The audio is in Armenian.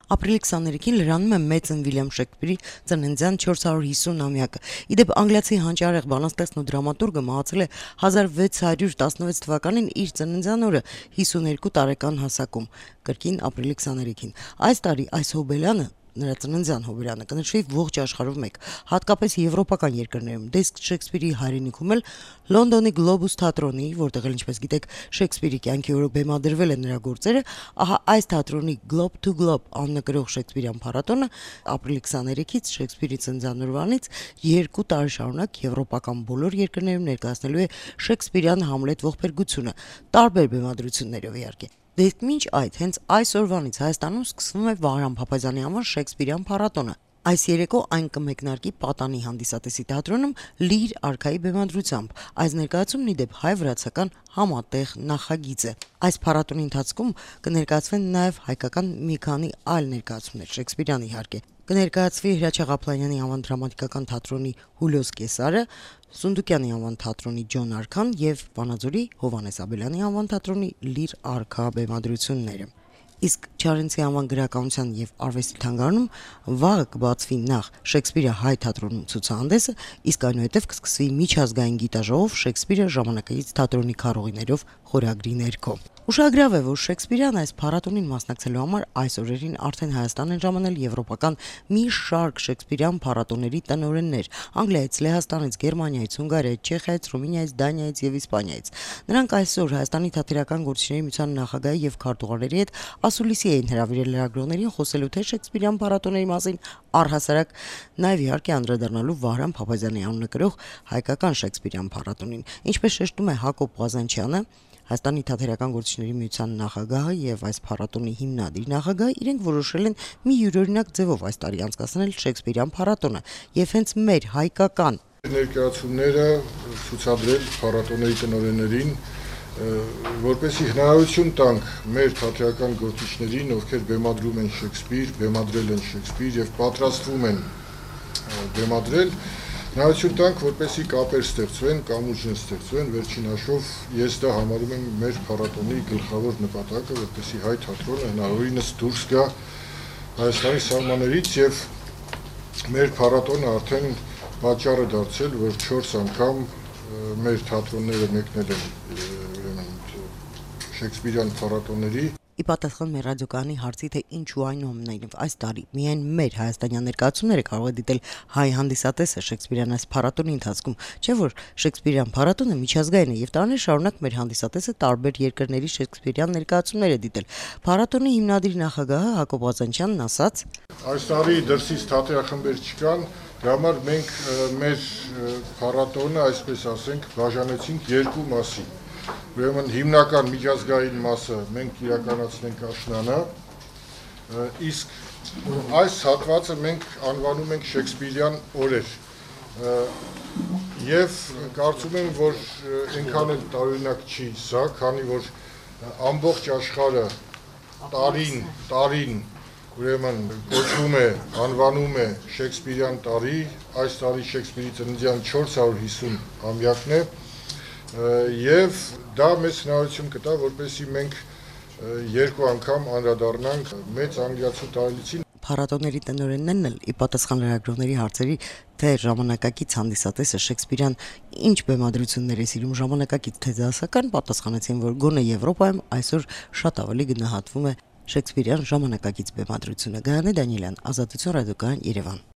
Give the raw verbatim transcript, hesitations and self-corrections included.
Ապրիլի քսաներեքին լրանում է Մեծն Վիլյամ Շեքսպիրի ծննդյան չորսսարուն հիսուն-ամյակը։ Իդեպ անգլիացի հանճարեղ բանաստեղծն ու դրամատուրգը մահացել է հազար վեց հարյուր տասնվեց թվականին իր ծննդյան օրը հիսուներկու տարեկան հասակում, կրկին ապրիլի քսաներեքին։ Այս տարի այս հոբելյանը նրա ծննդյան հոբելյանը կնշվի ողջ աշխարհով մեկ, հատկապես եվրոպական երկրներում, դե իսկ Շեքսպիրի հայրենիքում էլ Լոնդոնի Գլոբուս թատրոնի, որտեղ էլ ինչպես գիտեք Շեքսպիրի կյանքի օրոք բեմադրվել են նրա գործերը, ահա այս թատրոնի Globe to Globe աննկրող Շեքսպիրյան փառատոնը ապրիլի քսաներեքից Շեքսպիրի ծննդյան օրվանից երկու տարի շարունակ եվրոպական բոլոր երկրներում ներկայացնելու է Շեքսպիրյան Համլետ ողբերգությունը, տարբեր բեմադրություններով իհարկե։ Դե իսկ մինչ այդ հենց այս օրվանից Հայաստանում սկսվում է Վահրամ Փափազյանի անվան Շեքսպիրյան փառատոնը։ Այս երեկո այն կմեկնարկի Պատանի հանդիսատեսի թատրոնում Լիր արքայի բեմադրությամբ։ Այս ներկայացումն ի դեպ հայ-վրացական համատեղ նախագիծ է։ Այս փառատոնի ընթացքում կներկայացվեն նաև հայկական մի քանի այլ ներկայացումներ, Շեքսպիրյան իհարկե։ Կներկայացվի Հրաչյա Ղափլանյանի անվան դրամատիկական թատրոնի Հուլիոս Կեսարը, Սունդուկյանի անվան թատրոնի Ջոն Արքան եւ Վանաձորի Հովհաննես Աբելյանի անվան թատրոնի Լիր արքա բեմադրությունները։ Իսկ Չարենցի անվան գրականության եւ արվեստի թանգարանում վաղը կբացվի նախ Շեքսպիրը հայ թատրոնում ցուցահանդեսը, իսկ այնուհետև կսկսվի միջազգային գիտաժողով Շեքսպիրը ժամանակակից թատրոնի քարոզիներով խորագրի ներքո։ Ուշագրավ է, որ Շեքսպիրյան այս փառատոնին մասնակցելու համար այս օրերին արդեն Հայաստան են ժամանել եվրոպական մի շարք Շեքսպիրյան փառատոների տնօրեններ Անգլիայից, Լեհաստանից, Գերմանիայից, Հունգարիայից, Չեխիայից, Ռումինիայից, Դանիայից եւ Իսպանիայից։ Նրանք այսօր Հայաստանի թատերական գործիչների միության նախագահի եւ քարտուղարների հետ ասուլիսի էին հրավիրել լրագրողներին խոսելու թե Շեքսպիրյան փառատոների մասին, առհասարակ նաեւ իհարկե անդրադառնալու Վահրամ Փափազյանի անունը հայկական Շեքսպիրյան փառատոնին։ Ինչպես շեշտում է Հակոբ Ղազանչյանը, Հայաստանի թատերական գործիչների միության նախագահը եւ այս փառատոնի հիմնադիր նախագահը իրենք որոշել են մի յուրօրինակ ձևով այս տարի անցկացնել Շեքսպիրյան փառատոնը եւ հենց մեր հայկական ներկայացումները ցուցադրել փառատոնների տնօրեններին, որպեսզի հնարավորություն տանք մեր թատերական գործիչներին, ովքեր բեմադրում են Շեքսպիր, բեմադրել են Շեքսպիր եւ պատրաստվում են բեմադրել, հնարավորություն տանք, որպեսզի կապեր ստեղծվեն, կամուրջներ ստեղծվեն, վերջին հաշվով ես դա համարում եմ մեր փառատոնի գլխավոր նպատակը, որպեսզի հայ թատրոնը հնարավորինս դուրս գա Հայաստանի սահմաններից եւ մեր փառատոնը արդեն պատճառ է դարձել, որ չորս անգամ մեր թատրոնները մեկնել են Շեքսպիրյան փառատոների։ Ի պատասխան մեր ռադիոկայանի հարցի, թե ինչու այնուամենայնիվ այս տարի միայն մեր հայաստանյան ներկայացումները կարող է դիտել հայ հանդիսատեսը Շեքսպիրյան այս փառատոնի ընթացքում, չէ՞ որ Շեքսպիրյան փառատոնը միջազգային է եւ տարիներ շարունակ մեր հանդիսատեսը տարբեր երկրների Շեքսպիրյան ներկայացումներ է դիտել։ Փառատոնի հիմնադիր նախագահը Հակոբ Ղազանչյանն ասաց. Այս տարի դրսից թատերախմբեր չկան, դրա համար մենք մեր փառատոնը, այսպես ասենք, բաժանեցինք երկու մասի։ Ուրեմն հիմնական միջազգային մասը մենք իրականացնենք աշնանը, իսկ այս հատվածը մենք անվանում ենք Շեքսպիրյան օրեր։ Եվ կարծում եմ, որ այնքան էլ տարօրինակ չի սա, քանի որ ամբողջ աշխարհը տարին, տարին ուրեմն կոչվում է, անվանում է Շեքսպիրյան տարի, այս տարի Շեքսպիրի ծննդյան չորս հարյուր հիսուն ամյակն է։ Եվ դա մեծ հնարավորություն կտա, որպեսզի մենք երկու անգամ անդրադառնանք մեծ անգլիացու տարելիցին։ Փառատոների տնօրեններն էլ ի պատասխան լրագրողների հարցերի, թե ժամանակակից հանդիսատեսը Շեքսպիրյան ինչ բեմադրություններ է սիրում, ժամանակակից թե դասական, պատասխանեցին, որ գոնե Եվրոպայում այսօր շատ ավելի գնահատվում է Շեքսպիրյան ժամանակակից բեմադրությունը։ Գայանե Դանիելյան, Ազատություն ռադիոկայան, Երևան։